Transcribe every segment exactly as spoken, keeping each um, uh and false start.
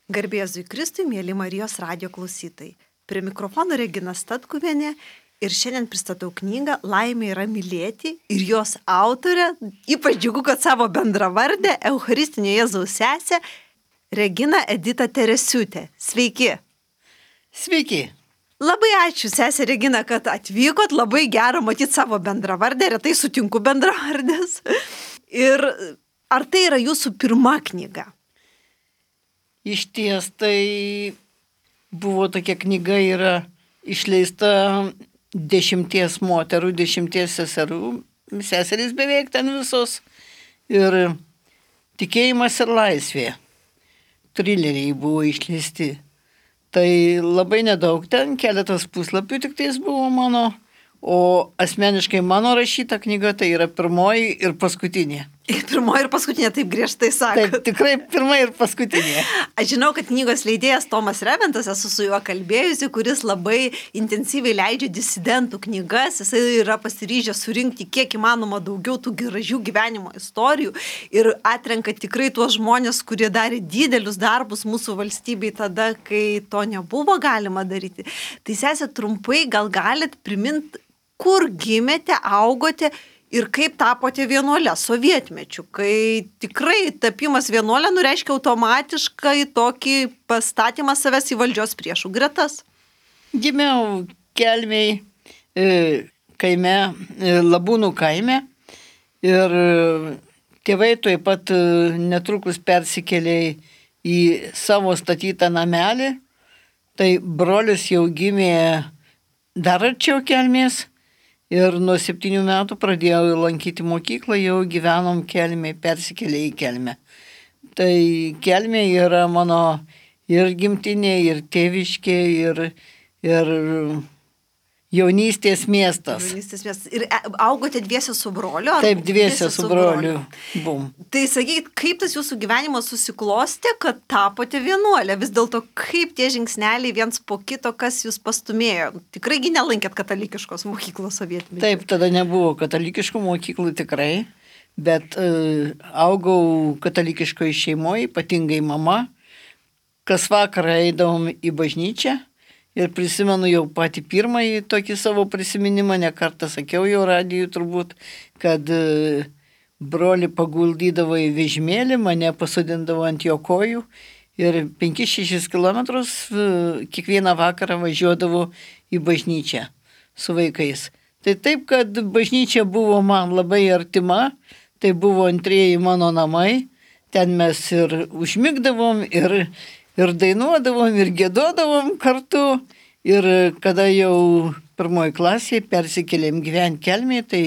Garbė Jėzui Kristui, mėly Marijos radijo klausytojai. Prie mikrofono Regina Statkuvienė ir šiandien pristatau knygą Laimė yra mylėti ir jos autorė, ypač džiugu, kad savo bendravardę, Eucharistinio Jėzaus sesę, Regina Edita Teresiūtė. Sveiki. Sveiki. Labai ačiū, sesė Regina, kad atvykot, labai gera matyti savo bendravardę, retai sutinku bendravardės. Ir ar tai yra jūsų pirma knyga? Iš ties tai buvo tokia knyga, yra išleista dešimties moterų, dešimties seserų, seserys beveik ten visos. Ir tikėjimas ir laisvė. Trileriai buvo išleisti. Tai labai nedaug ten, keletas puslapių tik tais buvo mano, o asmeniškai mano rašyta knyga tai yra pirmoji ir paskutinė. Ir pirmoji ir paskutinė, taip griežtai sako. Taip, tikrai pirmoji ir paskutinė. Aš žinau, kad knygos leidėjas Tomas Reventas, esu su juo kalbėjusi, kuris labai intensyviai leidžia disidentų knygas, jisai yra pasiryžęs surinkti kiek įmanoma daugiau tų gražių gyvenimo istorijų ir atrenka tikrai tuos žmonės, kurie darė didelius darbus mūsų valstybei tada, kai to nebuvo galima daryti. Tai sesė, trumpai gal galit priminti, kur gimėte, augote ir kaip tapote vienuolę sovietmečiu, kai tikrai tapimas vienuolę nureiškia automatiškai tokį pastatymą savęs į valdžios priešų gretas. Gimiau Kelmėj kaime, Labūnų kaime ir tėvai taip pat netrukus persikėlė į savo statytą namelį, tai brolis jau gimė dar arčiau Kelmės. Ir nuo septynių metų pradėjau lankyti mokyklą, jau gyvenom Kelmėj, persikėlė į Kelmę. Tai Kelmė yra mano ir gimtinė, ir tėviškė, ir, ir jaunystės miestas. Jaunystės miestas. Ir augote dviese su broliu? Taip, dviese su broliu. Bum. Tai sakykit, kaip tas jūsų gyvenimas susiklostė, kad tapote vienuolė? Vis dėlto, kaip tie žingsneliai viens po kito, kas jūs pastumėjo? Tikraigi nelankėt katalikiškos mokyklos sovietmečiu? Taip, tada nebuvo katalikiškų mokyklų tikrai, bet uh, augau katalikiškoje šeimoje, ypatingai mama. Kas vakarą eidavom į bažnyčią. Ir prisimenu jau patį pirmąjį tokį savo prisiminimą, ne kartą sakiau jau radijui turbūt, kad broli paguldydavo į vežimėlį, mane pasodindavo ant jo kojų ir penkis šešis kilometrus kiekvieną vakarą važiuodavo į bažnyčią su vaikais. Tai taip, kad bažnyčia buvo man labai artima, tai buvo antrieji mano namai, ten mes ir užmigdavom, ir Ir dainuodavom, ir gėdodavom kartu. Ir kada jau pirmoji klasėje persikėlėm gyventi Kelmėje, tai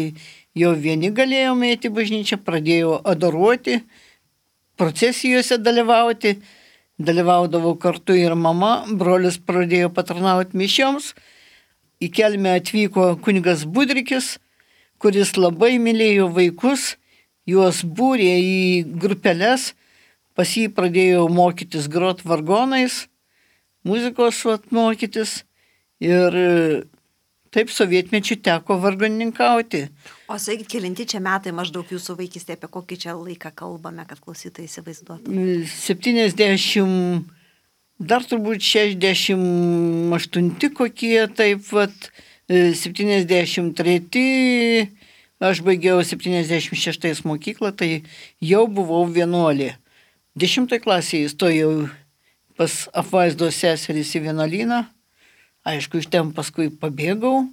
jau vieni galėjome eiti į bažnyčią, pradėjau adoruoti, procesijose dalyvauti. Dalyvaudavo kartu ir mama, brolis pradėjo patarnauti mišioms. Į Kelmę atvyko kunigas Budrikis, kuris labai mylėjo vaikus, juos būrė į grupeles. Pas jį pradėjau mokytis grot vargonais, muzikos vat, mokytis ir taip sovietmečiu teko vargonininkauti. O sakykit, kelinti čia metai maždaug jūsų vaikystė, apie kokį čia laiką kalbame, kad klausytojai įsivaizduotų? septyniasdešimt, dar turbūt šešiasdešimt aštunti kokie, taip vat, septyniasdešimt treti, aš baigiau septyniasdešimt šeštais mokyklą, tai jau buvau vienuolė. Dešimtoj klasėje įstojau pas apvaizdos seserys į vienuolyną. Aišku, iš ten paskui pabėgau.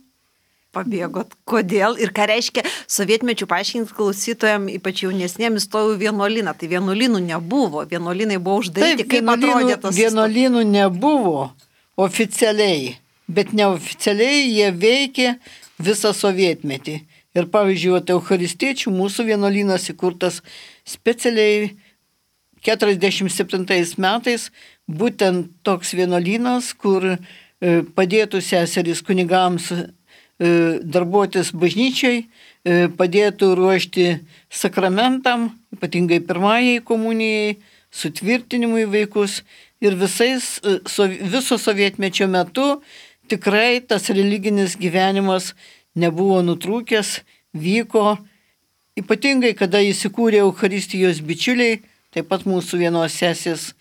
Pabėgot. Kodėl? Ir ką reiškia sovietmečių, paaiškinti klausytojams, ypač jaunesnėms, įstojau į vienuolyną. Tai vienuolynų nebuvo. Vienuolynai buvo uždaryti. Taip, kaip atrodė tas? Vienuolynų nebuvo oficialiai, bet neoficialiai jie veikė visą sovietmetį. Ir pavyzdžiui, eucharistiečių mūsų vienuolynas įkurtas specialiai keturiasdešimt septintais metais, būtent toks vienuolynas, kur padėtų seserys kunigams darbuotis bažnyčiai, padėtų ruošti sakramentam, ypatingai pirmajai komunijai, sutvirtinimui vaikus ir visais, viso sovietmečio metu tikrai tas religinis gyvenimas nebuvo nutrūkęs, vyko, ypatingai kada įsikūrė Eucharistijos bičiuliai, taip pat mūsų vienos sesės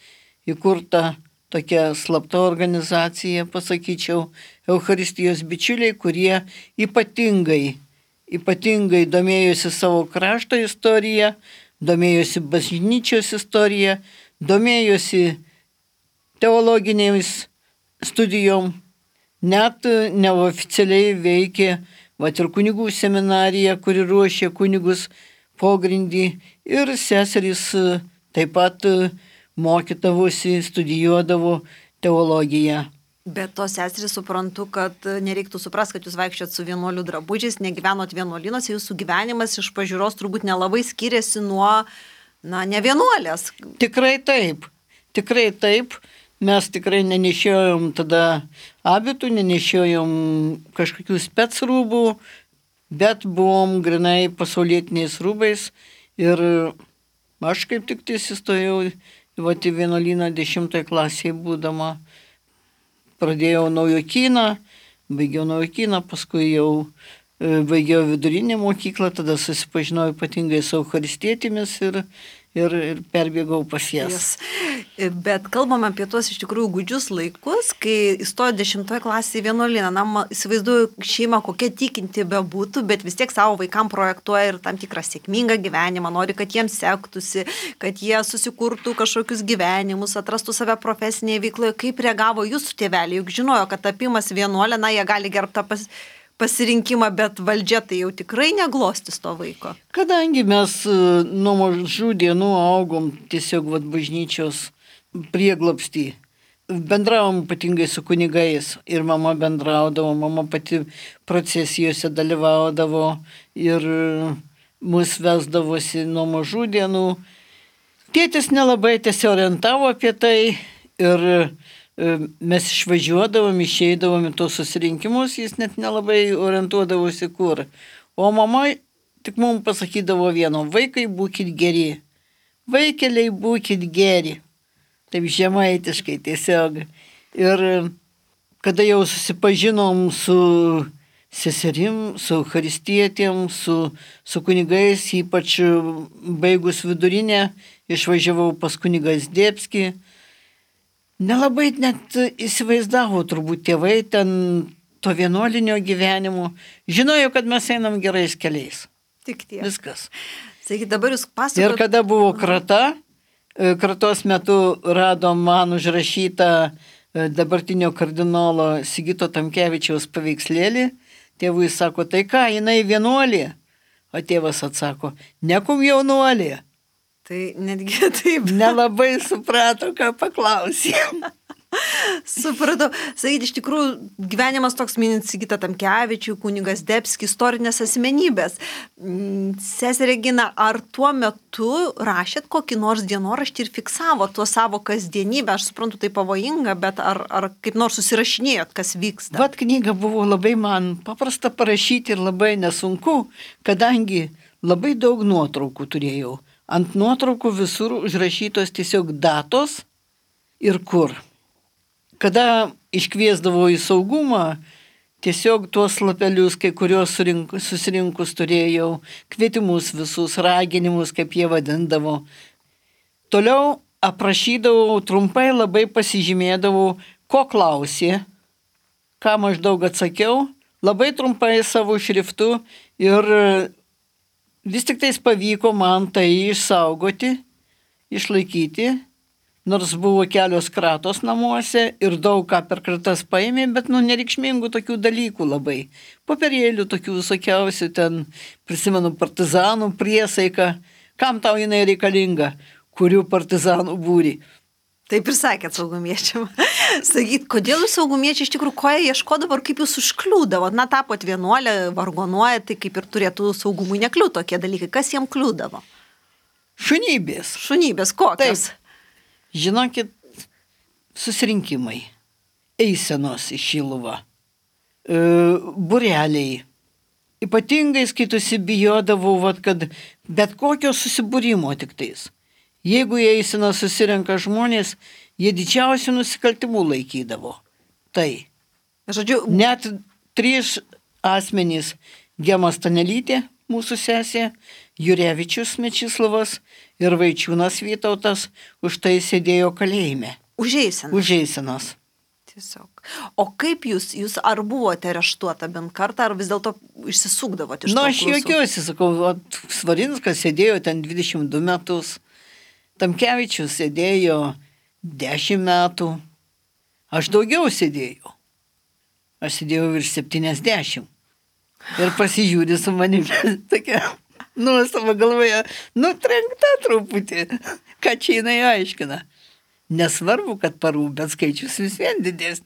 įkurta tokia slapta organizacija, pasakyčiau, Eucharistijos bičiuliai, kurie ypatingai, ypatingai domėjosi savo krašto istoriją, domėjosi bažnyčios istoriją, domėjosi teologinėmis studijom, net neoficialiai veikė, va ir kunigų seminarija, kuri ruošė kunigus pogrindį, ir seserys taip pat mokydavosi, studijuodavo teologiją. Bet tos seserys suprantu, kad nereiktų suprasti, kad jūs vaikščiot su vienuolių drabužiais, negyvenot vienuolynuose, jūsų gyvenimas iš pažiūros turbūt nelabai skiriasi nuo, na, ne vienuolės. Tikrai taip, tikrai taip. Mes tikrai nenešiojom tada abitų, nenešiojom kažkokių specrūbų, bet buvom grinai pasaulietiniais rūbais. Ir aš kaip tik tais įstojau į vienuolyną dešimtoje klasėje būdama. Pradėjau naujokyną, baigiau naujokyną, paskui jau baigiau vidurinę mokyklą, tada susipažinau ypatingai su eucharistietėmis ir, ir, ir perbėgau pas jas. Yes. Bet kalbam apie tuos iš tikrųjų gūdžius laikus, kai įstojo dešimtoje klasėje vienuolyną. Na, įsivaizduoju šeimą, kokia tikinti bebūtų, bet vis tiek savo vaikam projektuoja ir tam tikrą sėkmingą gyvenimą, nori, kad jiems sektųsi, kad jie susikurtų kažkokius gyvenimus, atrastų save profesinėje veikloje. Kaip reagavo jūsų tėveliai? Juk žinojo, kad tapimas vienuolė, na, jie gali gerbtą pas... pasirinkimą, bet valdžia tai jau tikrai neglostis to vaiko. Kadangi mes nuo mažų dienų augom tiesiog vat, bažnyčios prieglobstį, bendravom ypatingai su kunigais ir mama bendraudavo, mama pati procesijose dalyvaudavo ir mus vesdavosi nuo mažų dienų. Tėtis nelabai tiesiog orientavo apie tai ir mes išvažiuodavom, išeidavom į tos susirinkimus, jis net nelabai orientuodavosi kur. O mama tik mums pasakydavo vieno, vaikai būkit geri, vaikeliai būkit geri. Taip žemaitiškai tiesiog. Ir kada jau susipažinom su seserim, su eucharistietėm, su, su kunigais, ypač baigus vidurinę, išvažiavau pas kunigą Zdebskį. Nelabai net įsivaizdavo turbūt tėvai ten to vienuolinio gyvenimo. Žinojo, kad mes einam gerais keliais. Tik tiek. Viskas. Sakykit, dabar jūs pasakojate. Ir kada buvo krata, kratos metu radom man užrašytą dabartinio kardinolo Sigito Tamkevičiaus paveikslėlį. Tėvui sako, tai ką, jinai vienuolė? O tėvas atsako, nekum jaunuolė. Tai netgi taip. Nelabai suprato, ką paklausė. Supratau. Sakyti, iš tikrųjų, gyvenimas toks minint Sigitą Tamkevičių, kunigas Zdebskis, istorinės asmenybės. Seserė Regina, ar tuo metu rašėt kokį nors dienoraštį ir fiksavo tuo savo kasdienybę? Aš suprantu, tai pavojinga, bet ar, ar kaip nors susirašinėjot, kas vyksta? Vat knyga buvo labai man paprasta parašyti ir labai nesunku, kadangi labai daug nuotraukų turėjau. Ant nuotraukų visur užrašytos tiesiog datos ir kur. Kada iškviesdavo į saugumą, tiesiog tuos lapelius, kai kurios surinkus, susirinkus turėjau, kvietimus visus, raginimus, kaip jie vadindavo. Toliau aprašydavau, trumpai labai pasižymėdavau, ko klausė, ką maždaug atsakiau, labai trumpai savo šriftu ir vis tik tais pavyko man tai išsaugoti, išlaikyti, nors buvo kelios kratos namuose ir daug ką per kratas paėmė, bet nu nereikšmingų tokių dalykų labai. Popierėlių tokių visokiausių, ten prisimenu partizanų priesaiką, kam tau jinai reikalinga, kurių partizanų būrį. Taip ir sakėt saugumiečiam. Sakyt, kodėl jūs saugumiečiai iš tikrųjų, ko jie ieškodavo ir kaip jūs užkliūdavo? Na, tapot vienuolė, vargonuoja, tai kaip ir turėtų saugumui nekliūti tokie dalykai. Kas jiem kliūdavo? Šunybės. Šunybės kokios? Taip. Žinokit, susirinkimai, eisenos į Šiluvą, e, bureliai. Ypatingai skaitusi bijodavau, vat, kad bet kokio susibūrimo tik tais. Jeigu į eiseną susirenka žmonės, jie didžiausių nusikaltimų laikydavo. Tai. Žodžiu, net trys asmenys, Gema Stanelytė, mūsų sesė, Jurevičius Mečislavas ir Vaičiūnas Vytautas už tai sėdėjo kalėjime. Užeisinas. Užeisinas. Tiesiog. O kaip jūs, jūs ar buvote areštuota bent kartą, ar vis dėlto išsisukdavote iš to? Na, aš juokiuosi, sakau, Svarinskas sėdėjo ten dvidešimt du metus, Tamkevičius sėdėjo dešimt metų, aš daugiau sėdėjau. Aš sėdėjau virš septyniasdešimt. Ir pasižiūrė su manimi tokia nuostaba galvoje, nutrenkta truputį, ką čia jinai aiškina. Nesvarbu, kad parų, bet skaičius vis vien didesnis.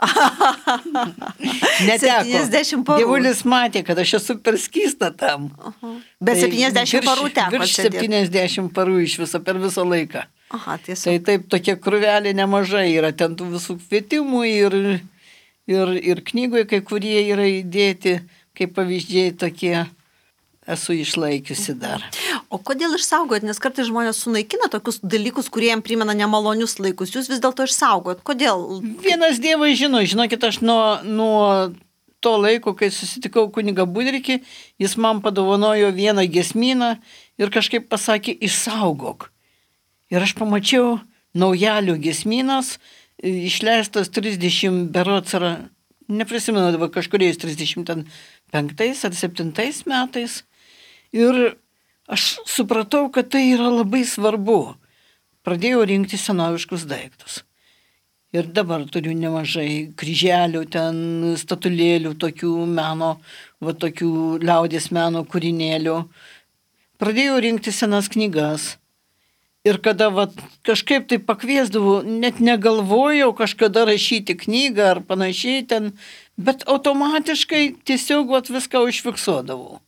Neteko. septyniasdešimt parų. Dievulis matė, kad aš esu per skystą tam. Aha. Bet septyniasdešimt parų teko virš sėdėti. septyniasdešimt parų iš viso per visą laiką. Aha, tiesiog. Tai taip, tokia krūvelė nemažai yra, ten tų visų kvietimų ir, ir, ir knygoje kai kurie yra įdėti, kaip pavyzdžiai tokie. Esu išlaikiusi dar. O kodėl išsaugojot? Nes kartais žmonės sunaikina tokius dalykus, kurie jam primena nemalonius laikus. Jūs vis dėlto išsaugojot. Kodėl? Vienas Dievas žino. Žinokit, aš nuo, nuo to laiko, kai susitikau kunigą Budrikį, jis man padovanojo vieną giesmyną ir kažkaip pasakė, išsaugok. Ir aš pamačiau Naujalio giesmynas, išleistas trisdešimt berods ar, neprisimenu dabar, kažkuriais trisdešimt penktais ar septintais metais. Ir aš supratau, kad tai yra labai svarbu. Pradėjau rinkti senoviškus daiktus. Ir dabar turiu nemažai kryželių, ten statulėlių, tokių meno, va tokių liaudies meno kūrinėlių. Pradėjau rinkti senas knygas. Ir kada va, kažkaip tai pakviesdavau, net negalvojau kažkada rašyti knygą ar panašiai ten, bet automatiškai tiesiog va, viską užfiksuodavau.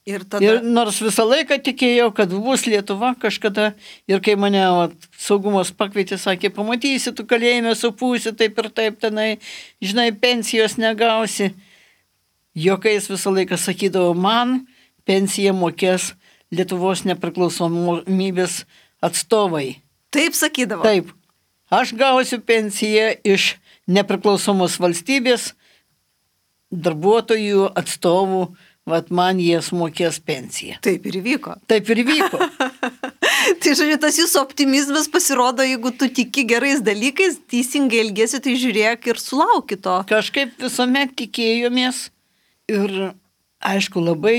Ir, tada... ir nors visą laiką tikėjau, kad bus Lietuva kažkada, ir kai mane va, saugumas pakvietė, sakė, pamatysi, tu kalėjime supūsi, taip ir taip tenai, žinai, pensijos negausi. Jokais visą laiką sakydavo, man pensiją mokės Lietuvos nepriklausomybės atstovai. Taip sakydavo? Taip. Aš gausiu pensiją iš nepriklausomos valstybės darbuotojų atstovų, vat man jie sumokės pensiją. Taip ir įvyko. Taip ir įvyko. Tai žodžiu, tas jūsų optimizmas pasirodo, jeigu tu tiki gerais dalykais, teisingai elgesi, tai žiūrėk ir sulauki to. Kažkaip visuomet tikėjomės ir, aišku, labai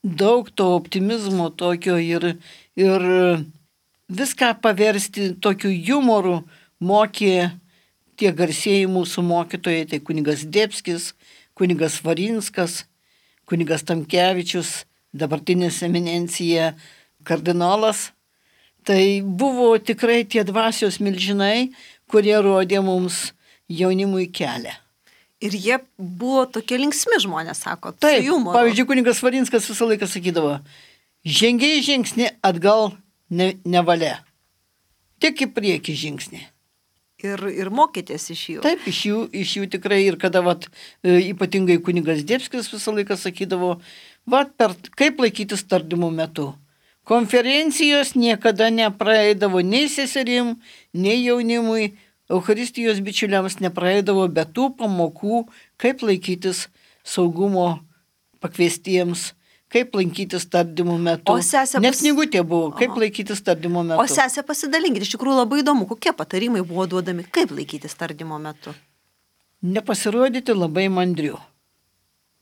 daug to optimizmo tokio ir, ir viską paversti tokiu jumoru mokė tie garsieji mūsų mokytojai, tai kunigas Debskis, kunigas Svarinskas, kunigas Tamkevičius, dabartinės eminencija kardinolas. Tai buvo tikrai tie dvasios milžinai, kurie rodė mums jaunimui kelią. Ir jie buvo tokie linksmi žmonės, sako, taip, su jumoru. Pavyzdžiui, kunigas Svarinskas visą laiką sakydavo, žengiai žingsnį atgal ne, nevalia, tik į priekį žingsnį. Ir, ir mokytės iš jų. Taip, iš jų, iš jų tikrai. Ir kada vat, ypatingai kunigas Debskis visą laiką sakydavo, vat, per, kaip laikytis tardymo metu. Konferencijos niekada nepraeidavo nei seserim, nei jaunimui, Eucharistijos bičiuliams nepraeidavo be tų pamokų, kaip laikytis saugumo pakviestiems, kaip lankytis tardymo metu. O sesė Net pas... knygutė buvo, kaip Aha. laikytis tardymo metu. O sesė pasidalinkit, iš tikrųjų labai įdomu, kokie patarimai buvo duodami, kaip laikytis tardymo metu. Nepasirodyti labai mandriu.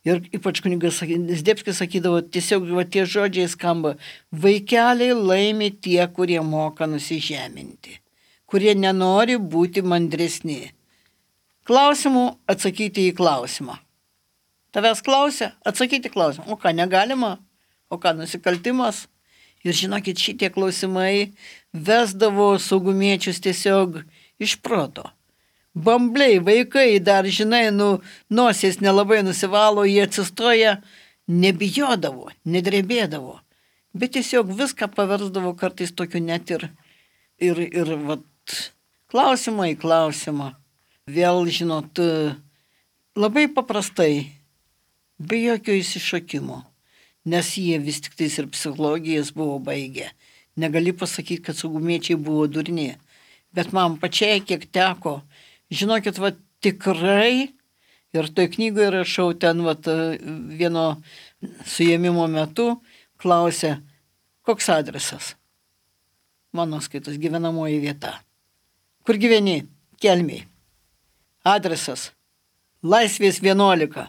Ir ypač kunigas Debskis sakydavo, tiesiog va, tie žodžiai skamba, vaikeliai laimi tie, kurie moka nusižeminti, kurie nenori būti mandresni. Klausimų atsakyti į klausimą. Tavęs klausia, atsakyti klausimą. O ką negalima? O ką nusikaltimas? Ir žinokit, šitie klausimai vesdavo saugumiečius tiesiog iš proto. Bambliai, vaikai dar, žinai, nu, nosies nelabai nusivalo, jie atsistoja, nebijodavo, nedrebėdavo. Bet tiesiog viską paversdavo kartais tokiu net ir, ir, ir vat, klausimą į klausimą. Vėl, žinot, labai paprastai. Be jokio įsišokimo, nes jie vis tik tais ir psichologijas buvo baigę. Negali pasakyti, kad saugumiečiai buvo durni, bet man pačiai kiek teko, žinokit, va tikrai, ir toj knygoje rašau ten va vieno suėmimo metu, klausė, Koks adresas? Mano skaitos gyvenamoji vieta. Kur gyveni? Kelmėj. Adresas. Laisvės vienuolika.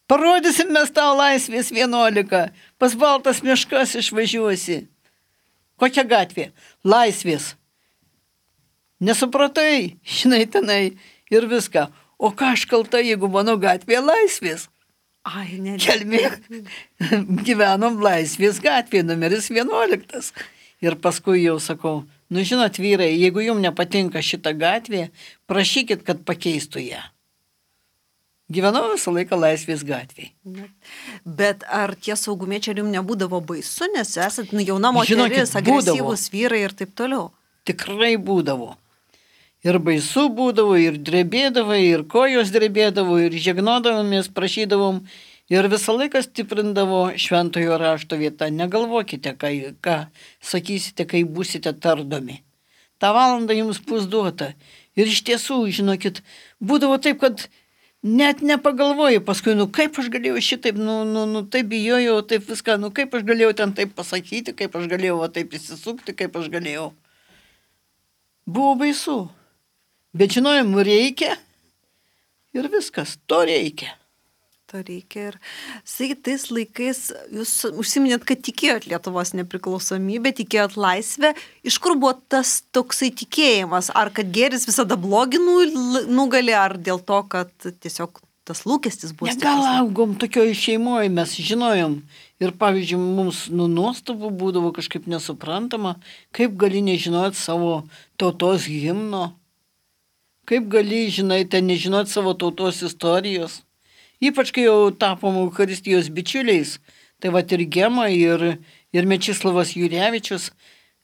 Parodysim mes tau Laisvės vienuolika. Pas Baltas miškas išvažiuosi. Kokia gatvė? Laisvės. Nesupratai, žinai, tenai ir viską. O ką aš kalta, jeigu mano gatvė Laisvės? Ai, ne. Kelmė. Gyvenom Laisvės gatvė, numeris vienuoliktas. Ir paskui jau sakau, nu žinot, vyrai, jeigu jums nepatinka šita gatvė, prašykit, kad pakeistų ją. Gyvenau visą laiką Laisvės gatvėje. Bet ar tie saugumiečiai jums nebūdavo baisu, nes esat nu, jauna moteris, Žinokit, agresyvūs būdavo. vyrai ir taip toliau? Tikrai būdavo. Ir baisu būdavo, ir drebėdavo, ir kojos drebėdavo, ir žegnodavomės, prašydavom. Ir visą laiką stiprindavo šventojo rašto vietą. Negalvokite, ką, ką sakysite, kai būsite tardomi. Ta valanda jums bus duota. Ir iš tiesų, žinokit, būdavo taip, kad net nepagalvoju paskui, nu kaip aš galėjau šitaip, nu, nu, nu taip bijojau, taip viską, nu kaip aš galėjau ten taip pasakyti, kaip aš galėjau va, taip įsisukti, kaip aš galėjau. Buvo baisu. Bet žinojom, reikia ir viskas, to reikia. To reikia ir, sakykit, tais laikais jūs užsiminėt, kad tikėjot Lietuvos nepriklausomybę, tikėjot laisvę. Iš kur buvo tas toksai tikėjimas? Ar kad gėris visada blogį nugali, ar dėl to, kad tiesiog tas lūkestis buvo stiprus? Gal augom tokioj šeimoje, mes žinojom. Ir pavyzdžiui, mums nu, nuostabų būdavo kažkaip nesuprantama, kaip gali nežinot savo tautos himno, kaip gali, žinai, ten nežinot savo tautos istorijos. Ypač kai jau tapom Eucharistijos bičiuliais, tai va ir Gema, ir, ir Mečislavas Jurevičius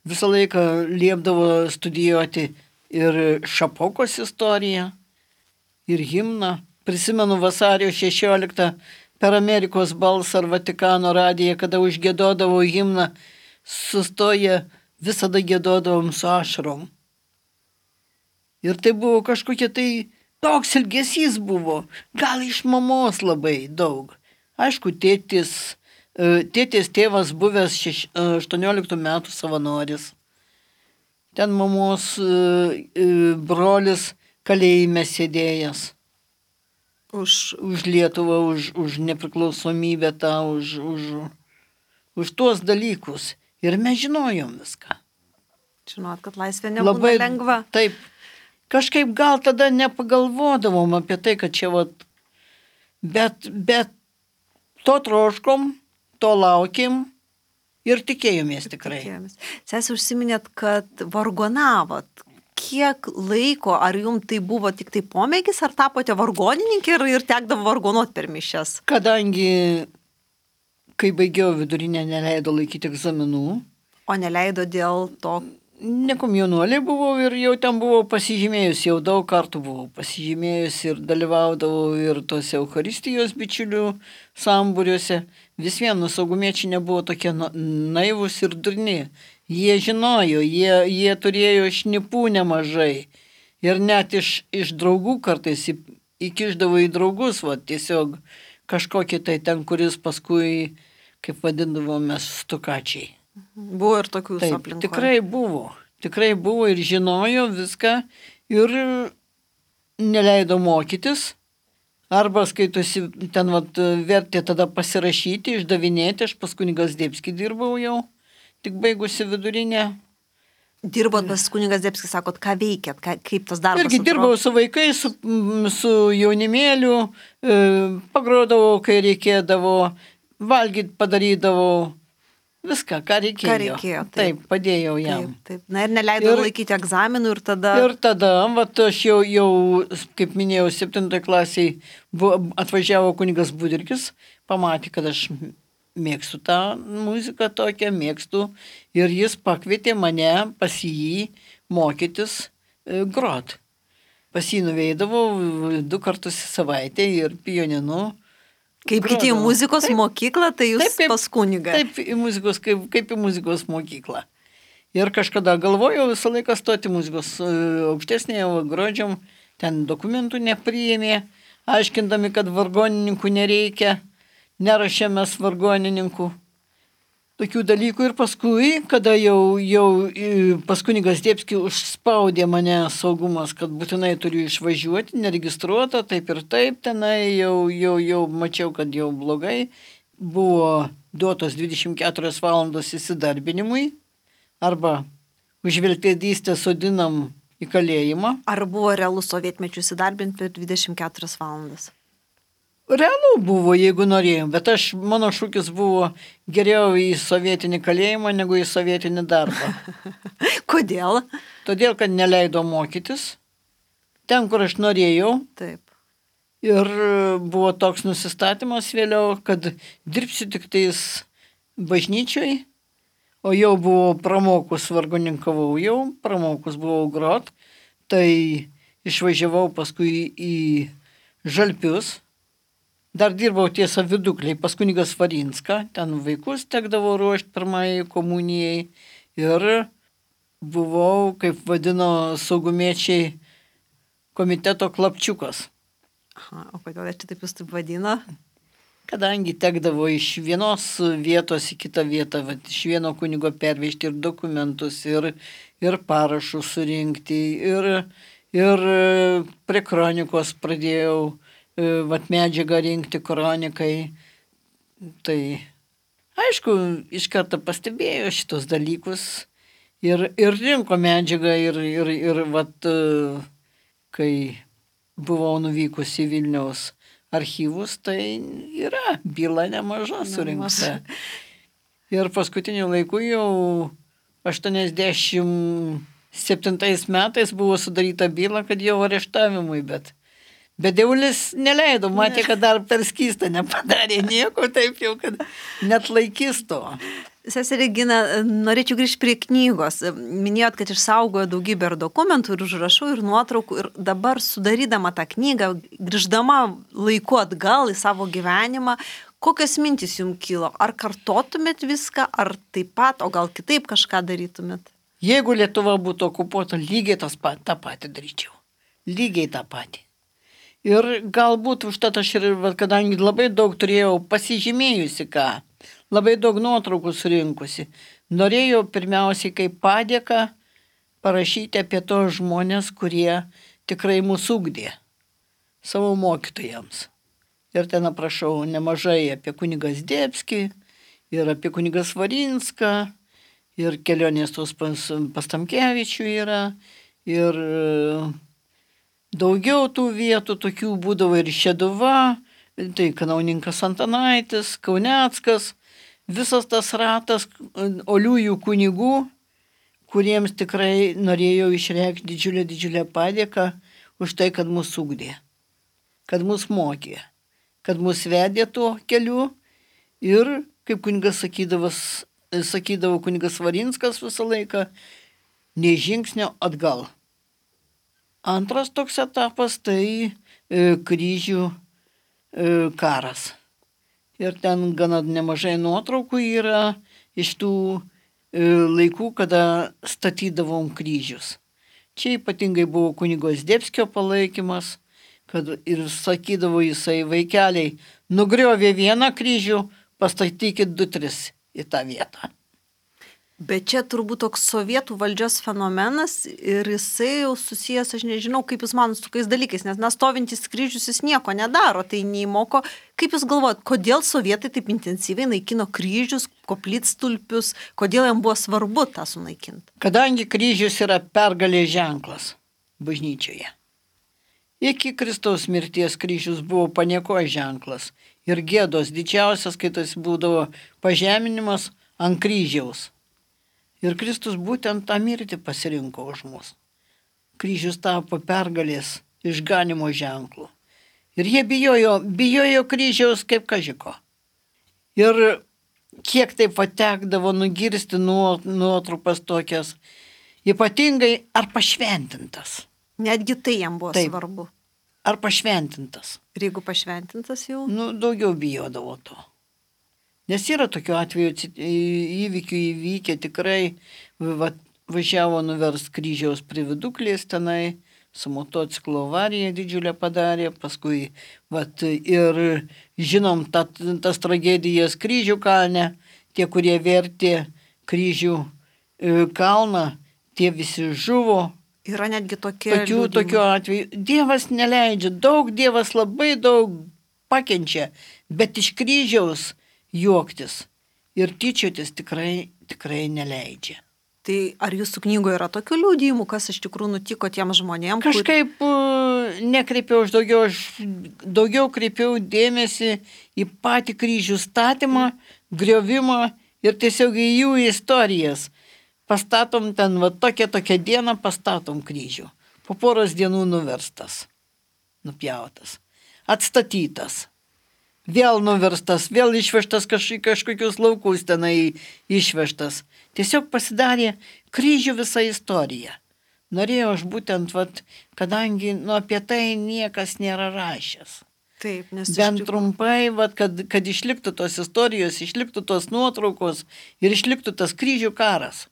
visą laiką liepdavo studijuoti ir Šapokos istoriją, ir himną. Prisimenu vasario šešioliktą per Amerikos balsą ar Vatikano radiją, kada užgiedodavo himną, sustoję visada giedodavom su ašarom. Ir tai buvo kažkokia tai toks ilgesys buvo, gal iš mamos labai daug. Aišku, tėtis, tėtis tėvas buvęs šeš, aštuonioliktų metų savanoris. Ten mamos brolis kalėjime sėdėjęs. Už, už Lietuvą, už, už nepriklausomybę tą, už, už, už tuos dalykus. Ir mes žinojom viską. Žinot, kad laisvė nebūna labai lengva. Taip. Kažkaip gal tada nepagalvodavom apie tai, kad čia vat, bet, bet to troškom, to laukėm ir tikėjomės tikrai. Tikėjomės. Sesė, užsiminėt, kad vargonavot. Kiek laiko, ar jums tai buvo tik tai pomėgis, ar tapote vargonininkė ir, ir tekdavo vargonuot per mišias? Kadangi, kai baigiau vidurinę, neleido laikyti egzaminų. O neleido dėl to? Nekomjaunuolė buvau ir jau ten buvau pasižymėjus, jau daug kartų buvau pasižymėjus ir dalyvaudavau ir tose Eucharistijos bičiulių sambūriuose. Vis vienu saugumiečiai nebuvo tokie naivus ir durni. Jie žinojo, jie, jie turėjo šnipų nemažai. Ir net iš, iš draugų kartais įkišdavo į draugus, va, tiesiog kažkokį tai ten, kuris paskui, kaip vadindavome, stukačiai. Buvo ir tokių aplinkoje. Tikrai buvo, tikrai buvo ir žinojo viską ir neleido mokytis. Arba skaitosi, ten vat, vertė tada pasirašyti, išdavinėti, aš pas kunigas Debskį dirbau jau, tik baigusi vidurinę. Dirbot pas kunigas Debskį, sakot, ką veikėt, ką, kaip tas darbas? Irgi dirbau su vaikais, su, su jaunimėliu, pagrodavau, kai reikėdavo, valgyt padarydavau. Viską, ką reikėjo. Ką reikėjo taip. taip, padėjau jam. Taip, taip. Na ir neleido ir, laikyti egzaminų ir tada... Ir tada, vat, aš jau, jau, kaip minėjau, septintoje klasėje atvažiavo kunigas Budrikis, pamatė, kad aš mėgstu tą muziką tokią, mėgstu. Ir jis pakvietė mane pas jį mokytis e, grot. Pas jį nuveidavau du kartus į savaitę ir pianinu. Kaip kiti į muzikos taip, mokyklą, tai jūs taip, kaip, pas kunigą. Taip, į muzikos, kaip, kaip į muzikos mokyklą. Ir kažkada galvojau visą laiką stoti muzikos aukštesnėje, grodžiam, ten dokumentų nepriėmė, aiškindami, kad vargonininkų nereikia, nerašėmės vargonininkų. tokių dalykų ir paskui, kada jau, jau pas kunigas Zdebskį užspaudė mane saugumas, kad būtinai turiu išvažiuoti, neregistruota, taip ir taip, tenai jau, jau, jau mačiau, kad jau blogai, buvo duotos dvidešimt keturios valandos įsidarbinimui, arba už vilkpėdystę sodinam į kalėjimą. Ar buvo realu sovietmečių įsidarbinti per dvidešimt keturias valandas? Realu buvo, jeigu norėjom, bet aš, mano šūkis buvo geriau į sovietinį kalėjimą negu į sovietinį darbą. Kodėl? Todėl, kad neleido mokytis ten, kur aš norėjau. Taip. Ir buvo toks nusistatymas vėliau, kad dirbsiu tik tais bažnyčioj, o jau buvau pramokus, vargoninkavau jau, pramokus buvau grot, tai išvažiavau paskui į Žalpius. Dar dirbau tiesa Vidukliai pas kunigas Varinską, ten vaikus tekdavo ruošti pirmąjai komunijai ir buvau, kaip vadino saugumiečiai, komiteto klapčiukas. Aha, o kodėl čia taip jūs taip vadino? Kadangi tekdavo iš vienos vietos į kitą vietą, vat, iš vieno kunigo pervežti ir dokumentus, ir, ir parašus surinkti, ir, ir prie kronikos pradėjau vat medžiagą rinkti kronikai. Tai aišku, iš karto pastebėjo šitos dalykus ir, ir rinko medžiagą ir, ir, ir vat, kai buvau nuvykus į Vilniaus archyvus, tai yra byla nemaža surinkta. Ir paskutiniu laiku jau aštuoniasdešimt septintais metais buvo sudaryta byla, kad jau areštavimui, bet Bet dievulis neleido, matė, kad dar per skystą nepadarė nieko, taip jau, kad net laikys to. Seserė Regina, norėčiau grįžti prie knygos. Minėjot, kad išsaugojo daugybę ir dokumentų, ir užrašų, ir nuotraukų. Ir dabar sudarydama tą knygą, grįždama laiku atgal į savo gyvenimą, kokios mintys jums kilo? Ar kartotumėt viską, ar taip pat, o gal kitaip kažką darytumėt? Jeigu Lietuva būtų okupuota, lygiai tas pat, tą patį daryčiau. Lygiai tą patį. Ir galbūt užtat aš ir, kadangi labai daug turėjau pasižymėjusi ką, labai daug nuotraukų surinkusi, norėjau pirmiausiai kaip padėką parašyti apie tos žmonės, kurie tikrai mūsų ugdė, savo mokytojams. Ir ten aprašau nemažai apie kunigą Zdebskį, ir apie kunigą Varinską, ir kelionės tos pas, pas Tamkevičių yra, ir daugiau tų vietų tokių būdavo ir Šeduva, tai kanauninkas Antanaitis, Kauneckas, visas tas ratas oliųjų kunigų, kuriems tikrai norėjau išreikšti didžiulę, didžiulę padėką už tai, kad mus ugdė, kad mus mokė, kad mus vedė tuo keliu ir, kaip kunigas sakydavas, sakydavo kunigas Varinskas visą laiką, nei žingsnio atgal. Antras toks etapas tai e, kryžių e, karas. Ir ten gana nemažai nuotraukų yra iš tų e, laikų, kada statydavom kryžius. Čia ypatingai buvo kunigo Zdebskio palaikymas, kad ir sakydavo jisai, vaikeliai, nugriovė vieną kryžių, pastatykit du, tris į tą vietą. Bet čia turbūt toks sovietų valdžios fenomenas ir jisai jau susijęs, aš nežinau, kaip jūs manot su tokiais dalykais, nes nas stovintis kryžius jis nieko nedaro, tai neįmoko. Kaip jūs galvojat, kodėl sovietai taip intensyviai naikino kryžius, koplytstulpius, kodėl jam buvo svarbu tą sunaikinti? Kadangi kryžius yra pergalės ženklas bažnyčioje. Iki Kristaus mirties kryžius buvo paniekos ženklas ir gėdos didžiausias, kai tas būdavo pažeminimas ant kryžiaus. Ir Kristus būtent tą mirtį pasirinko už mus. Kryžius tapo pergalės išganimo ženklu. Ir jie bijojo, bijojo kryžiaus kaip kažiko. Ir kiek taip patekdavo nugirsti nuotrupas tokias, ypatingai ar pašventintas. Netgi tai jam buvo taip svarbu. Ar pašventintas. Ir jeigu pašventintas jau? Nu, daugiau bijodavo to. Nes yra tokių atvejų įvykių įvykę tikrai, va, važiavo nuverst kryžiaus prie Viduklės tenai, su motociklo avarija didžiulę padarė, paskui vat, ir žinom ta, tas tragedijas Kryžių kalne, tie, kurie vertė kryžių e, kalną, tie visi žuvo. Yra netgi tokie Tokių, liudijimai. tokių atvejų. Dievas neleidžia, daug Dievas labai daug pakenčia, bet iš kryžiaus juoktis ir tyčiotis tikrai, tikrai neleidžia. Tai ar jūsų knygoje yra tokių liudijimų, kas iš tikrųjų nutiko tiem žmonėm? Kažkaip kur... nekreipiau aš daugiau, aš daugiau kreipiau dėmesį į patį kryžių statymą, griovimą ir tiesiog į jų istorijas. Pastatom ten, va tokią tokią dieną pastatom kryžių. Po poros dienų nuverstas, nupjautas, atstatytas, vėl nuverstas, vėl išvežtas kaž, kažkokius laukus tenai išvežtas. Tiesiog pasidarė kryžių visa istorija. Norėjau aš būtent, vat, kadangi nu, apie tai niekas nėra rašęs. Taip, nes Bent iš tikrųjų... trumpai, vat, kad, kad išliktų tos istorijos, išliktų tos nuotraukos ir išliktų tas kryžių karas.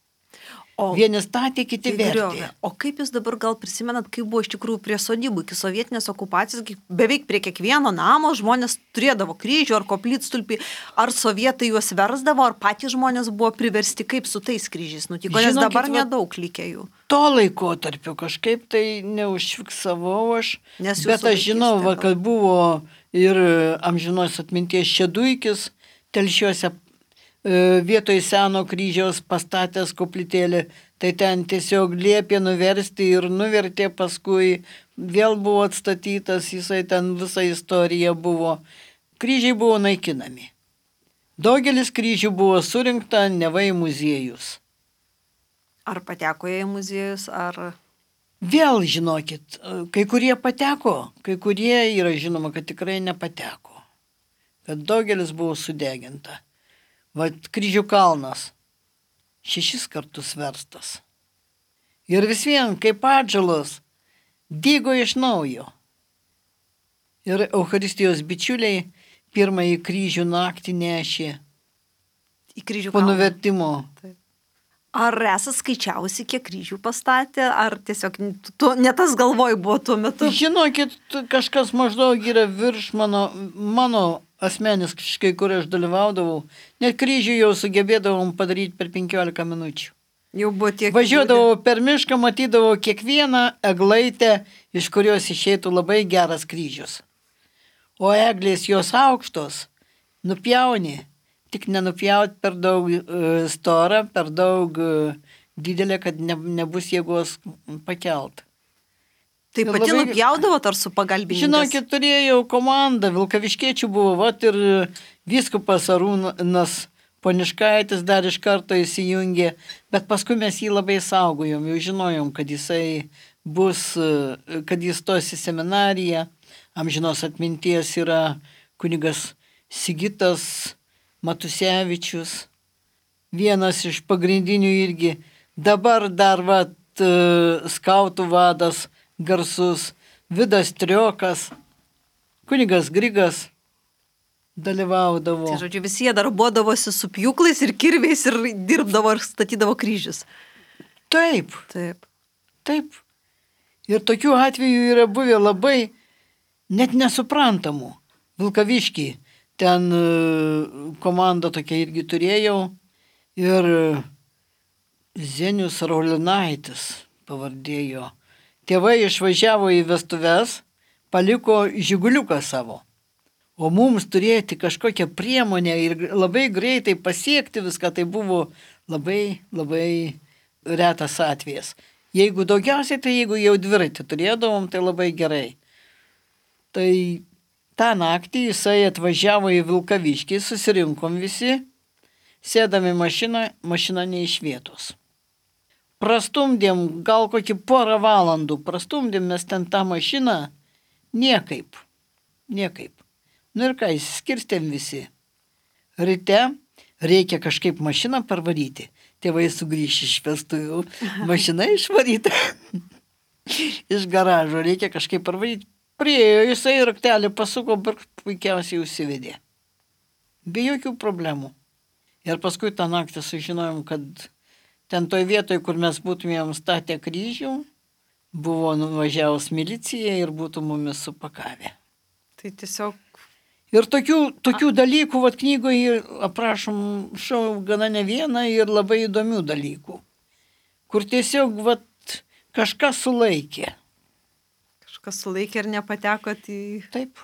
O vieni statė, kiti vertė. O kaip jūs dabar gal prisimenat, kaip buvo iš tikrųjų prie sodybų, iki sovietinės okupacijos, beveik prie kiekvieno namo žmonės turėdavo kryžių ar koplytstulpį, ar sovietai juos versdavo, ar patys žmonės buvo priversti, kaip su tais kryžiais nutiko, nes Žinokit, dabar va, nedaug likę jų. To laikotarpio kažkaip tai neužfiksavau aš, Nes bet aš žinau, va, kad buvo ir amžinos atminties Šeduikis telšiuose vietoj seno kryžiaus pastatęs koplytėlį, tai ten tiesiog liepė nuversti ir nuvertė, paskui vėl buvo atstatytas, jisai ten visa istorija buvo. Kryžiai buvo naikinami. Daugelis kryžių buvo surinkta neva į muziejus. Ar pateko jie į muziejus, ar... Vėl žinokit, kai kurie pateko, kai kurie yra žinoma, kad tikrai nepateko. Kad daugelis buvo sudeginta. Vat kryžių kalnas šešis kartus verstas. Ir vis vien, kaip atžalos, dygo iš naujo. Ir Eucharistijos bičiuliai pirmąjį kryžių naktį nešė į kryžių po kalną. nuvertimo. Taip. Ar esate skaičiavusi, kiek kryžių pastatė, ar tiesiog tu, ne tas galvoj buvo tuo metu? Žinokit, kažkas maždaug yra virš mano, mano asmeniškai, kur aš dalyvaudavau, net kryžių jau sugebėdavom padaryti per penkiolika minučių. Jau buvo tiek... Važiuodavau per mišką, matydavau kiekvieną eglaitę, iš kurios išeitų labai geras kryžius. O eglės jos aukštos, nupjauni, tik nenupjaut per daug uh, storą, per daug uh, didelę, kad ne, nebus jėgos pakelt. Tai pati labai... nupjaudavot ar su pagalbininkais? Žinokit, turėjau komandą, vilkaviškiečių buvo, vat ir vyskupas Arūnas Poniškaitis dar iš karto įsijungė, bet paskui mes jį labai saugojom, jau žinojom, kad jisai bus, kad jis stos į seminariją, amžinos atminties yra kunigas Sigitas Matusevičius, vienas iš pagrindinių irgi, dabar dar vat skautų vadas garsus, Vidas Triokas, kunigas Grigas dalyvaudavo. Tai žodžiu, visi jie darbuodavosi su pjūklais ir kirviais ir dirbdavo ir statydavo kryžius. Taip. Taip. Taip. Ir tokių atvejų yra buvę labai net nesuprantamų. Vilkaviškį, ten komandą tokia irgi turėjau ir Zenius Raulinaitis pavardėjo. Tėvai išvažiavo į vestuves, paliko žiguliuką savo. O mums turėti kažkokią priemonę ir labai greitai pasiekti viską, tai buvo labai, labai retas atvejas. Jeigu daugiausiai, tai jeigu jau dviratį turėdavom, tai labai gerai. Tai tą naktį jisai atvažiavo į Vilkaviškį, susirinkom visi, sėdami mašiną, mašina ne iš vietos. Prastumdėm gal kokį porą valandų, prastumdėm mes ten tą mašiną, niekaip, niekaip. Nu ir ką, išskirstėm visi. Ryte reikia kažkaip mašiną parvaryti. Tėvai sugrįš iš vestuvių, mašina išvaryta iš garažo, reikia kažkaip parvaryti. Priėjo, jisai raktelį pasuko, bet puikiausiai užsivedė. Be jokių problemų. Ir paskui tą naktį sužinojom, kad ten toj vietoj, kur mes būtumėm statę kryžių, buvo nuvažiavus milicija ir būtų mumis supakavę. Tai tiesiog... Ir tokių, tokių dalykų, vat knygoje aprašom šau gana ne vieną ir labai įdomių dalykų, kur tiesiog vat kažkas sulaikė. Kažkas sulaikė ir nepatekot į... Taip.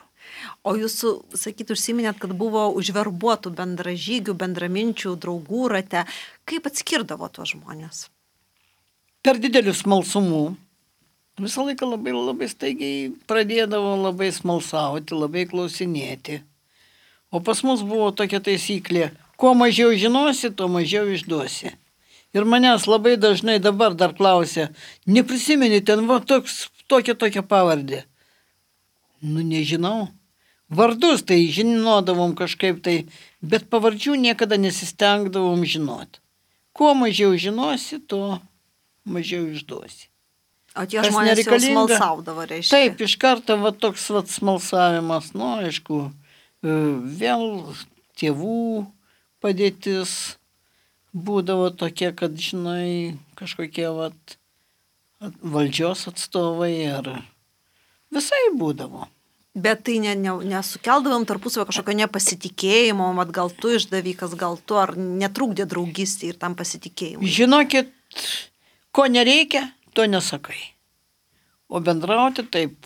O jūsų, sakyt, užsiminėt, kad buvo užverbuotų bendražygių, bendraminčių, draugų rate. Kaip atskirdavo tuos žmonės? Per didelių smalsumų. Visą laiką labai, labai staigiai pradėdavo labai smalsauti, labai klausinėti. O pas mus buvo tokia taisyklė, kuo mažiau žinosi, tuo mažiau išduosi. Ir manęs labai dažnai dabar dar klausia, neprisimeni ten va toks, tokia tokia pavardė. Nu, nežinau. Vardus tai žinodavom kažkaip tai, bet pavardžių niekada nesistengdavom žinoti. Kuo mažiau žinosi, tuo mažiau išduosi. O tie Kas žmonės jau smalsaudavo, reiškia? Taip, iš karto va toks va smalsavimas, nu, aišku, vėl tėvų padėtis būdavo tokia, kad, žinai, kažkokie va valdžios atstovai ar... Visai būdavo. Bet tai ne, ne, nesukeldavom tarpusavio kažkokio nepasitikėjimo, mat gal tu išdavykas, gal tu, ar netrukdė draugystė ir tam pasitikėjimui? Žinokit, ko nereikia, to nesakai. O bendrauti taip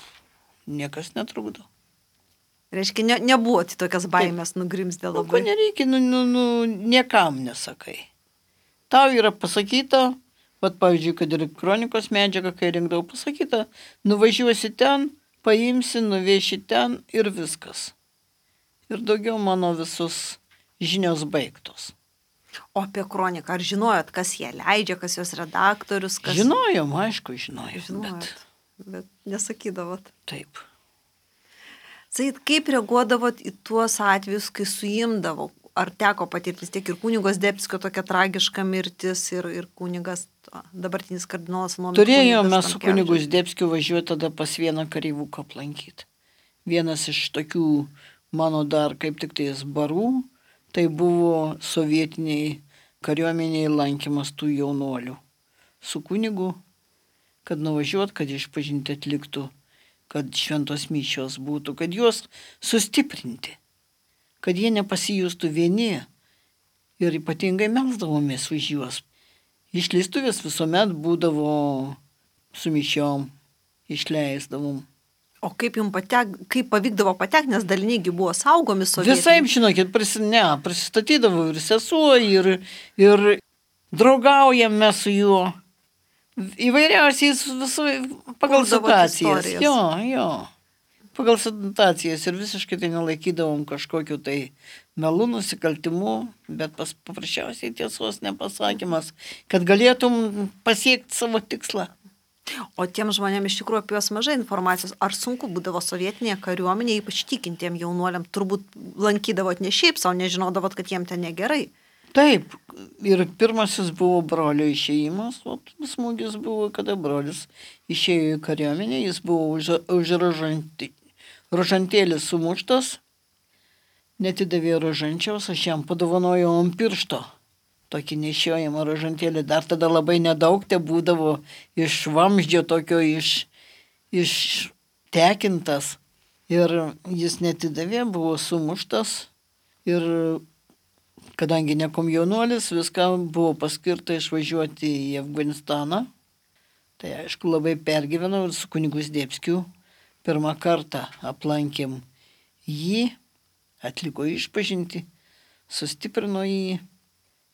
niekas netrukdo. Reiškia, ne, nebuvo tai tokias baimės nugrimzdė labai. O ko nereikia, nu, nu, nu, niekam nesakai. Tau yra pasakyta, vat pavyzdžiui, kad ir kronikos medžiaga, kai rinkdavau, pasakyta, nuvažiuosi ten, paimsi, nuveši ten ir viskas. Ir daugiau mano visus žinios baigtos. O apie kroniką, ar žinojot, kas ją leidžia, kas jos redaktorius? Kas... Žinojom, aišku, žinojom. Žinojot, bet... bet nesakydavot. Taip. Sakyt, kaip reaguodavot į tuos atvejus, kai suimdavo? Ar teko patirtis tiek ir kunigos Zdebskio tokia tragiška mirtis ir, ir kunigas, dabartinis kardinolas Nuomė? Turėjome mes su kunigu Zdebskiu važiuoti tada pas vieną kareivuką aplankyti. Vienas iš tokių mano dar kaip tik tais barų, tai buvo sovietiniai kariuomeniai lankymas tų jaunuolių. Su kunigu, kad nuvažiuot, kad išpažinti atliktų, kad šventos mišios būtų, kad juos sustiprinti. Kad jie nepasijustų vieni ir ypatingai melsdavomės už juos. Išleistuvės visuomet būdavo su mišiom, išleisdavom. O kaip jums patek, kaip pavykdavo patekti, nes daliniai buvo saugomi sovietiniai? Visai, žinokit, pris, ne, prisistatydavo ir sesuo, ir, ir draugaujame su juo. Įvairiausiais visų, pagal situacijas. Jo, jo. Pagal situacijas ir visiškai tai nelaikydavom kažkokiu tai melų nusikaltimu, bet pas, paprasčiausiai tiesos nepasakymas, kad galėtum pasiekti savo tikslą. O tiem žmonėms iš tikrųjų apie juos mažai informacijos. Ar sunku būdavo sovietinėje kariuomenėje, ypač tikintiem jaunuoliam, turbūt lankydavot ne šiaip savo, nežinodavot, kad jiem ten negerai? Taip, ir pirmasis buvo brolio išėjimas, o smūgis buvo, kada brolis išėjo į kariuomenę, jis buvo už, už rožantį, rožantėlis sumuštas, netidavė rožančiaus, aš jam padovanojau ant piršto tokį nešiojamą rožantėlį, dar tada labai nedaug te būdavo iš vamzdžio tokio iš, ištekintas ir jis netidavė, buvo sumuštas ir kadangi nekom jaunuolis, viską buvo paskirta išvažiuoti į Afganistaną. Tai aišku, labai pergyvenau ir su kunigu Zdebskiu pirmą kartą aplankėm jį, atliko išpažinti, sustiprino jį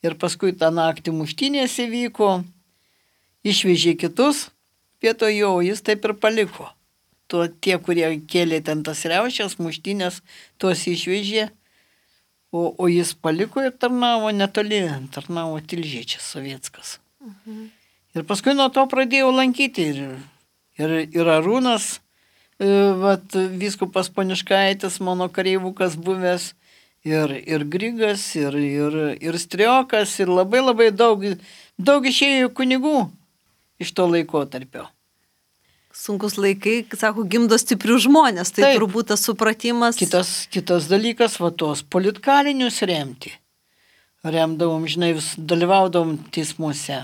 ir paskui tą naktį muštynės įvyko, išvežė kitus, vietoj jo jis taip ir paliko. Tuo tie, kurie kėlė ten tas riaušės, muštynės, tuos išvežė. O, o jis paliko ir tarnavo netoli, tarnavo Tilžiečias sovietskas. Mhm. Ir paskui nuo to pradėjau lankyti ir, ir, ir Arūnas, vat, vyskupas Poniškaitis, mano kareivukas buvęs, ir, ir Grigas, ir, ir, ir Striokas, ir labai labai daug, daug išėjo kunigų iš to laikotarpio. Sunkus laikai, sako, gimdo stiprių žmonės, tai taip, turbūt tas supratimas. Kitas, kitas dalykas, va tos politkalinius remti. Remdavom, žinai, vis dalyvaudavom teismuose.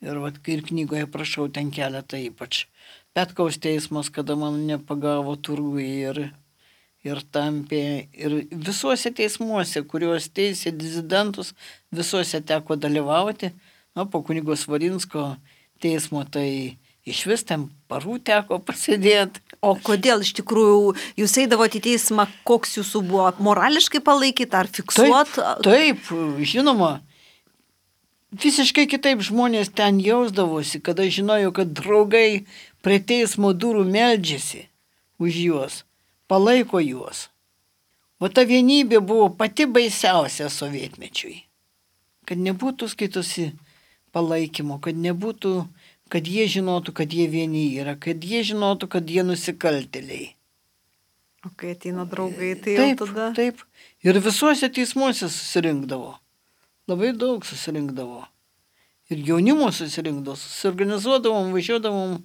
Ir va, ir knygoje prašau ten keletą ypač. Petkaus teismas, kada man nepagavo turgui ir, ir tampė, ir visuose teismuose, kuriuos teisė dizidentus, visuose teko dalyvauti. Na, po kunigo Svarinsko teismo tai iš vis ten parų teko pasėdėti. O kodėl iš tikrųjų jūs eidavote į teismą, koks jūsų buvo morališkai palaikyti ar fiksuot? Taip, taip, žinoma, visiškai kitaip žmonės ten jausdavosi, kada žinojo, kad draugai prie teismo durų meldžiasi už juos, palaiko juos. O ta vienybė buvo pati baisiausia sovietmečiui. Kad nebūtų skaitosi palaikymo, kad nebūtų, kad jie žinotų, kad jie vieni yra, kad jie žinotų, kad jie nusikaltėliai. O kai ateina draugai, tai taip, jau tada... Taip, ir visuose teismuose susirinkdavo. Labai daug susirinkdavo. Ir jaunimo susirinkdavo, susiorganizuodavom, važiuodavom.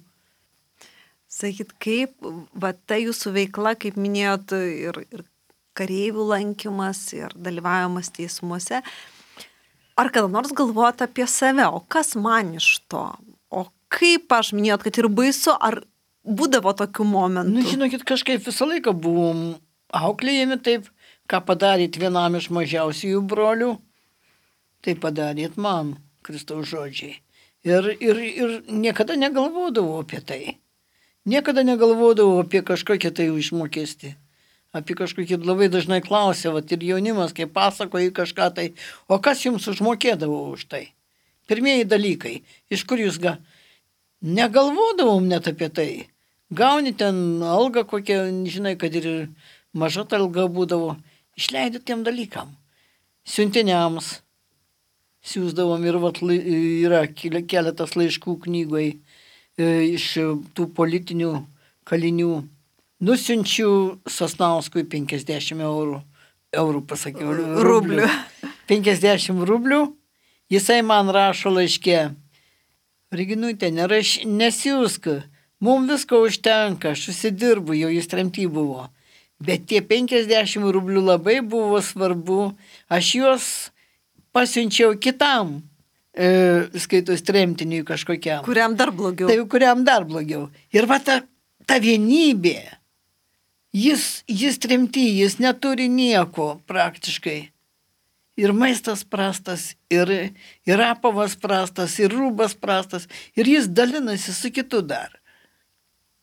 Sakyt, kaip, va ta jūsų veikla, kaip minėjot, ir, ir kareivių lankymas, ir dalyvavimas teismuose, ar kada nors galvojat apie save, o kas man iš to? O kaip aš minėjot, kad ir baisu, ar būdavo tokių momentų? Nu, žinokit, kažkaip visą laiką buvom auklėjami taip, ką padaryt vienam iš mažiausiųjų brolių, tai padarėt man, Kristaus žodžiai. Ir, ir, ir niekada negalvodavau apie tai. Niekada negalvodavau apie kažkokią tai užmokestį. Apie kažkokį labai dažnai klausia, vat ir jaunimas, kai pasakoja kažką tai, o kas jums užmokėdavo už tai? Pirmieji dalykai, iš kur jūs ga... Negalvodavom net apie tai. Gauni ten algą kokią, žinai, kad ir maža ta alga būdavo, išleidai tiem dalykam. Siuntiniams siūsdavom ir vat, yra keletas laiškų knygoj iš tų politinių kalinių. Nusiunčiu Sasnauskui penkiasdešimt eurų, eurų pasakiau, rublių. penkiasdešimt rublių, jisai man rašo laiške, Reginutė, neraš, nesiūsk, mums visko užtenka, aš susidirbu, jau jis tremty buvo. Bet tie penkiasdešimt rublių labai buvo svarbu, aš juos pasiunčiau kitam, e, skaitos tremtiniui kažkokiam. Kuriam dar blogiau. Tai kuriam dar blogiau. Ir va ta, ta vienybė. Jis, jis tremty, jis neturi nieko praktiškai. Ir maistas prastas, ir, ir apavas prastas, ir rūbas prastas, ir jis dalinasi su kitu dar.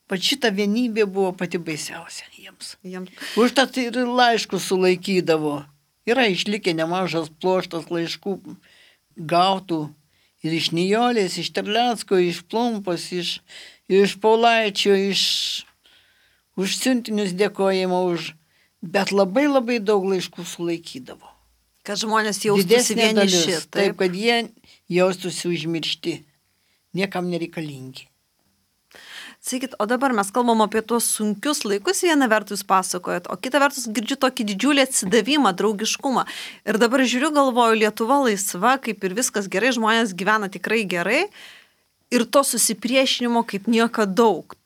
Pat šita vienybė buvo pati baisiausia jiems. Jiems. Užtat ir laiškus sulaikydavo. Yra išlikę nemažas ploštas laiškų gautų ir iš Nijolės, iš Terlecko, iš Plumpos, iš, iš Paulaičio, iš... už siuntinius dėkojimo, už... bet labai labai daug laiškų sulaikydavo. Kad žmonės jaustųsi vieniši. Taip. taip, kad jie jaustųsi užmiršti, niekam nereikalingi. Sakykit, o dabar mes kalbam apie tuos sunkius laikus, viena vertus pasakojat, o kita vertus girdžiu tokį didžiulį atsidavimą, draugiškumą. Ir dabar žiūriu, galvoju, Lietuva laisva, kaip ir viskas gerai, žmonės gyvena tikrai gerai ir to susipriešinimo kaip niekada daug.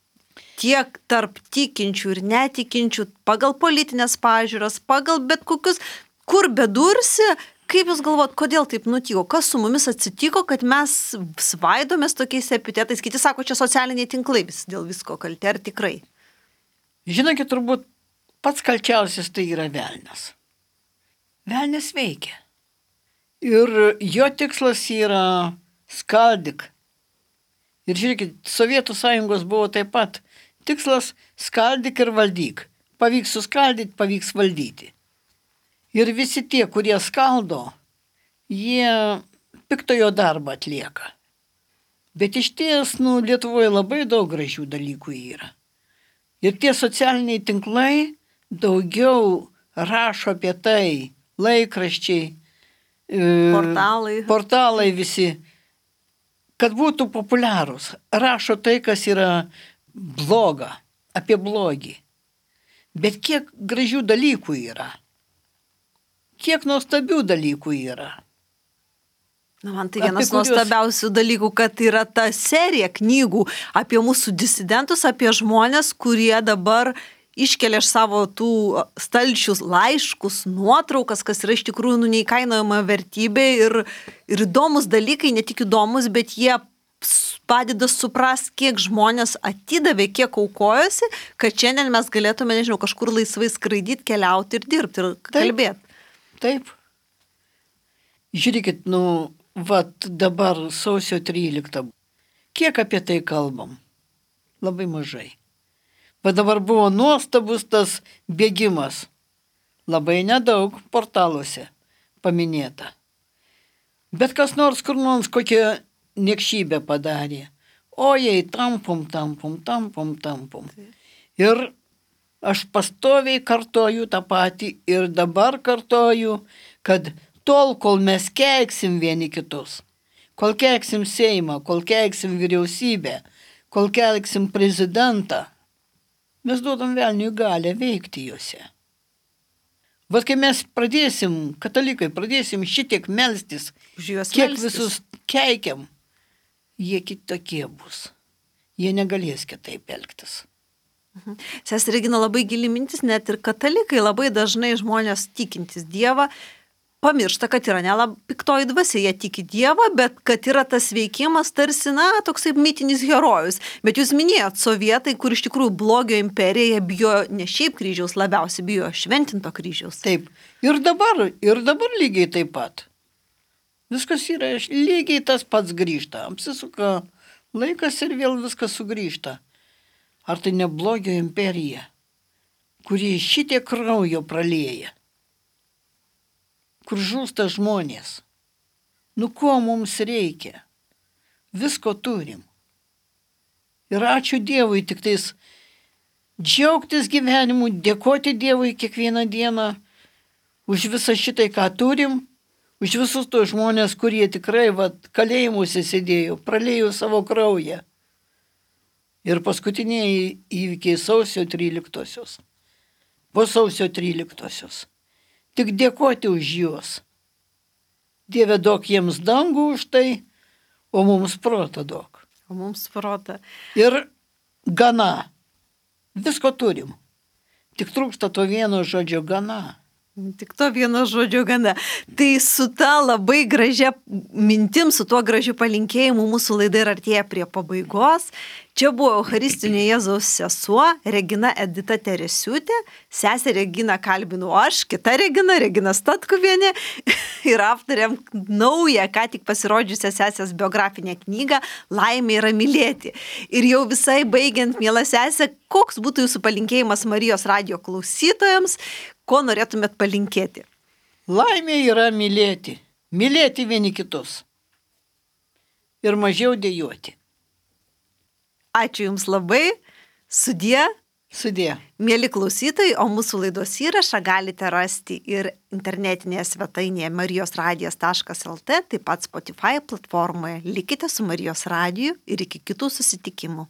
Tiek tarp tikinčių ir netikinčių, pagal politinės pažiūras, pagal bet kokius, kur bedursi, kaip jūs galvot, kodėl taip nutiko, kas su mumis atsitiko, kad mes svaidomės tokiais epitetais, kiti sako, čia socialiniai tinklai vis dėl visko kalti, ar tikrai? Žinokit, turbūt pats kalčiausias tai yra velnias. Velnias veikia. Ir jo tikslas yra skaldyk. Ir žiūrėkit, Sovietų sąjungos buvo taip pat. Tikslas skaldyk ir valdyk. Pavyks suskaldyti, pavyks valdyti. Ir visi tie, kurie skaldo, jie piktojo darbą atlieka. Bet iš ties, nu, Lietuvoje labai daug gražių dalykų yra. Ir tie socialiniai tinklai daugiau rašo apie tai, laikraščiai, portalai, portalai visi, kad būtų populiarūs. Rašo tai, kas yra bloga, apie blogį. Bet kiek gražių dalykų yra. Kiek nuostabių dalykų yra. Na, man tai vienas kurios... nuostabiausių dalykų, kad yra ta serija knygų apie mūsų disidentus, apie žmonės, kurie dabar iškelia iš savo tų stalčius laiškus, nuotraukas, kas yra iš tikrųjų nu, neįkainojama vertybė ir, ir įdomus dalykai, ne tik įdomus, bet jie padeda suprast, kiek žmonės atidavė, kiek aukojosi, kad šiandien mes galėtume, nežinau, kažkur laisvai skraidyti, keliauti ir dirbti ir kalbėti. Taip. Taip. Žiūrėkit, nu, vat dabar sausio tryliktą. Kiek apie tai kalbam? Labai mažai. Bet dabar buvo nuostabus tas bėgimas. Labai nedaug portaluose paminėta. Bet kas nors kur nors kokią niekšybę padarė. O jei tampom, tampom, tampom, tampom. Ir aš pastoviai kartoju tą patį ir dabar kartoju, kad tol, kol mes keiksim vieni kitus, kol keiksim Seimą, kol keiksim vyriausybę, kol keiksim prezidentą, mes duodam velniui galę veikti juose. Vat kai mes pradėsim, katalikai, pradėsim šitiek melstis, kiek melstis. Visus keikiam, jie kitokie bus. Jie negalės kitaip elgtis. Mhm. Sesė Regina, labai gili mintis, net ir katalikai labai dažnai žmonės tikintis Dievą pamiršta, kad yra nelab piktoji dvasia, jie tiki Dievą, bet kad yra tas veikimas tarsi, na, toksai mitinis herojus. Bet jūs minėjot sovietai, kur iš tikrųjų blogio imperija bijo ne šiaip kryžiaus, labiausiai bijo šventinto kryžiaus. Taip. Ir dabar, ir dabar lygiai taip pat. Viskas yra lygiai tas pats grįžta. Apsisuka laikas ir vėl viskas sugrįžta. Ar tai ne blogio imperija, kuri šitiek kraujo pralieja? Kur žūsta žmonės. Nu ko mums reikia? Visko turim. Ir ačiū Dievui, tik tais džiaugtis gyvenimu, dėkoti Dievui kiekvieną dieną už visą šitai, ką turim, už visus tos žmonės, kurie tikrai vat, kalėjimuose sėdėjo, pralėjo savo kraują. Ir paskutiniai įvykiai sausio tryliktosios. Po sausio tryliktosios. Tik dėkoti už juos. Dieve, duok jiems dangų už tai, o mums protą duok. O mums protą. Ir gana. Visko turim. Tik trūksta to vieno žodžio gana. Tik to vieno žodžio gana. Tai su ta labai gražia mintim, su tuo gražiu palinkėjimu mūsų laida ir artėja prie pabaigos. Čia buvo Eucharistinio Jėzaus sesuo Regina Edita Teresiūtė, sesę Reginą kalbinu aš, kita Regina, Regina Statkuvienė ir aptarėm naują, ką tik pasirodžiusią sesės biografinę knygą Laimė yra mylėti. Ir jau visai baigiant, miela sesė, koks būtų jūsų palinkėjimas Marijos radijo klausytojams, ko norėtumėt palinkėti? Laimė yra mylėti, mylėti vieni kitus ir mažiau dejuoti. Ačiū Jums labai, sudie. Sudie. Mėly klausytojai, o mūsų laidos įrašą galite rasti ir internetinėje svetainėje marijos radijas taškas el tė, taip pat Spotify platformoje. Likite su Marijos radiju ir iki kitų susitikimų.